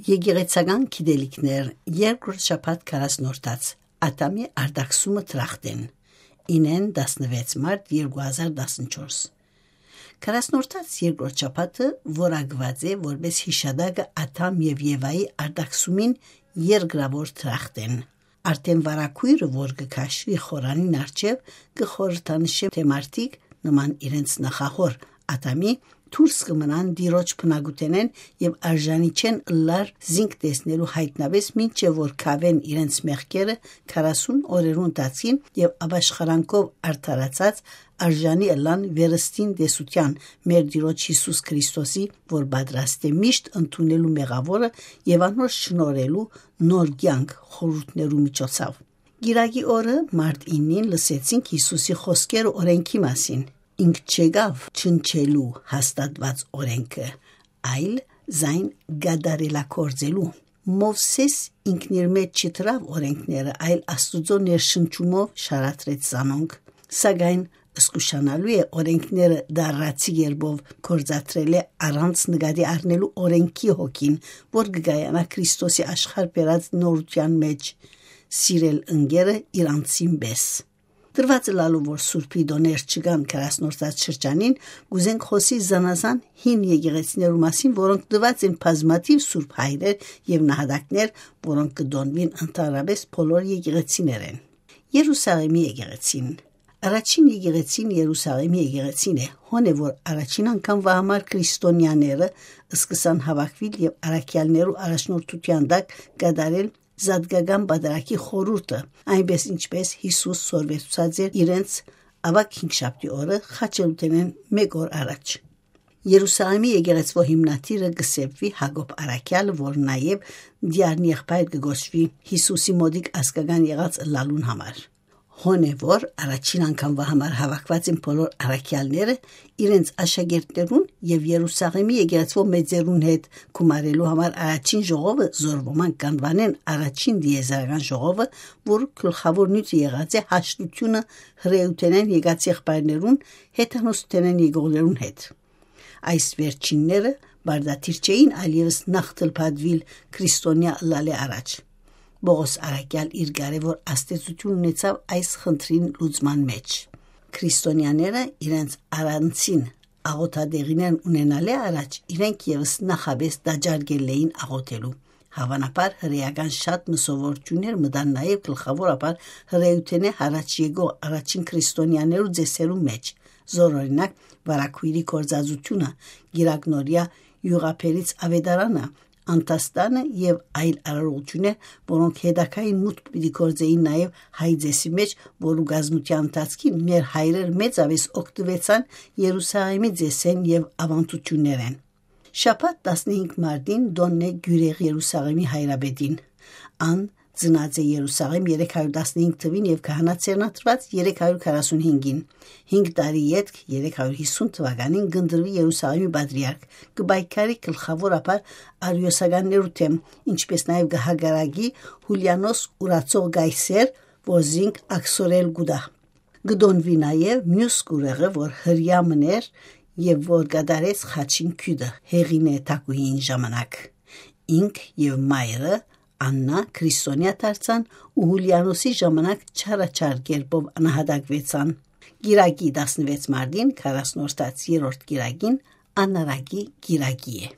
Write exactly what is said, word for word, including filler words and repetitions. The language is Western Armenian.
Եկեղեցական գիտելիքներ, երկրորդ շաբաթ քառասնորդաց, Ադամի արտաքսումը դրախտ են, ինեն տասնվեց մարտ երկու հազար տասնչորս։ Քառասնորդաց երկրորդ շաբաթը որակուած է որպես յիշատակը Ադամ եւ Եվայի արտաքսումին երկրաւոր դրախտ են։ Արդեն վարագոյրը, որ կը քաշուի խորանին առջեւ, կը խորհրդանշէ, թէ մարդիկ, նման իրենց նախահոր Ադամի, դուրս կը մնան Տիրոջ բնակութենէն եւ արժանի չեն ըլլար զինք տեսնելու յայտնապէս, մինչեւ որ քաւեն իրենց մեղքերը քառասուն օրերու ընթացքին եւ աբաշխարանքով արդարացած արժանի ըլլան վերստին տեսութեան, մեր Տիրոջ Յիսուս Քրիստոսի, որ պատրաստ է միշտ ընդունելու մեղաւորը եւ անոր շնորհելու նոր կեանք խորհուրդներու միջոցով։ Կիրակի օրը, մարտ իննին, լսեցինք Յիսուսի խօսքերը օրէնքի մասին. «Ինք չեկաւ չնչելու հաստատուած օրէնքը, այլ զայն կատարելագործելու։ Մովսէս ինքնիր մէջ չդրաւ օրէնքները, այլ Աստուծոյ ներշնչումով շարադրեց զանոնք։ Սակայն զգուշանալու է օրէնքները դառնացի կերպով գործադրելէ, առանց նկատի առնելու օրէնքի հոգին, որ կը կայանայ Քրիստոսի աշխարհ բերած նորութեան մէջ, սիրել ընկերը իր անձին պէս»։ Տրուածը լալու, որ Սուրբի տօներ չկան Քառասնորդաց շրջանին, կ'ուզենք խօսիլ զանազան հին եկեղեցիներու մասին, որոնք տուած են բազմաթիւ սուրբ հայրեր եւ նահատակներ, որոնք կը տօնուին ընդհանրապէս բոլոր եկեղեցիներէն։ Երուսաղէմի եկեղեցին։ Առաջին եկեղեցին Երուսաղէմի եկեղեցին է, հոն է, որ առաջին անգամ վահամար քրիստոնեաները սկսան հաւաքուիլ եւ առաքեալներու առաջնորդութեան տակ կատարել զատկական պատարագի խորհուրդը, այնպես ինչպես Յիսուս սորվեցուցած էր իրենց, աւագ հինգշաբթի օրը, խաչելութենէն մէկ օր առաջ։ Երուսաղէմի եկեղեցւոյ հիմնադիրը կը սեպուի Յակոբ առաքեալը, որ նաեւ Դիարնի եղբայր կը կոչուի, Յիսուսի մօտիկ ազգական եղած ըլլալուն համար։ Հոն է, որ առաջին անգամ վահամար հաւաքուած են բոլոր առաքեալները իրենց աշակերտներուն եւ Երուսաղէմի եկեղեցւոյ մեծերուն հետ գումարելու համար առաջին ժողովը, զոր ոմանք կ'անուանեն առաջին տիեզերական ժողովը, որ գլխաւոր նիւթը եղած է հաշտութիւնը հրեութենէն եկած եղբայրներուն, հեթանոսութենէն եկողներուն հետ։ Այս վերջինները պարտադիր չէին այլեւս նախ թլփատուիլ քրիստոնեայ ըլլալէ առաջ։ Պողոս առաքեալ իր կարեւոր ազդեցութիւն ունեցաւ այս խնդրին լուծման մէջ։ Քրիստոնեաները իրենց առանձին աղօթատեղիներն ունենալէ առաջ իրենք եւս նախապէս տաճար կ'ելլէին աղօթելու։ Հաւանաբար հրեական շատ մը սովորութիւններ մտան նաեւ գլխաւորաբար հրեութենէ յառաջ եկող առաջին քրիստոնեաներու ծեսերուն մէջ, զոր օրինակ վարագոյրի գործածութիւնը, կիրակնօրեայ իւղաբերից աւետարանը, անդաստանը եւ այլ արարողութիւններ, որոնք հետագային մուտք պիտի գործէին նաեւ հայ ծեսի մէջ, որու կազմութեան ընթացքին մեր հայրեր մեծապէս օգտուեցան Երուսաղէմի ծեսէն եւ աւանդութիւններէն։ Շաբաթ տասնհինգ մարտին տօնն է Գիւրեղ Երուսաղէմի հայրապետին։ Ան ծնած է Երուսաղէմ երեք հարիւր տասնհինգ թուին եւ քահանայ ձեռնադրուած երեք հարիւր քառասունհինգին։ Հինգ տարի ետք, երեք հարիւր յիսուն թուականին, կ'ընտրուի Երուսաղէմի պատրիարք, կը պայքարի գլխաւորաբար արիոսականներու դէմ, ինչպէս նաեւ կը հակառակի Յուլիանոս ուրացող կայսեր, որ զինք աքսորել կու տայ։ Կը տօնուի նաեւ միւս կուրեղը, որ հրեայ մըն էր եւ որ կատարեց խաչին քիւտը Հեղինէ թագուհիին ժամանակ։ Ինք եւ մայրը Աննա քրիստոնեայ դարձան ու Յուլիանոսի ժամանակ չարաչար կերպով նահատակուեցան։ Կիրակի տասնվեց մարտին, քառասնորդաց երրորդ կիրակին, անարակի կիրակի է։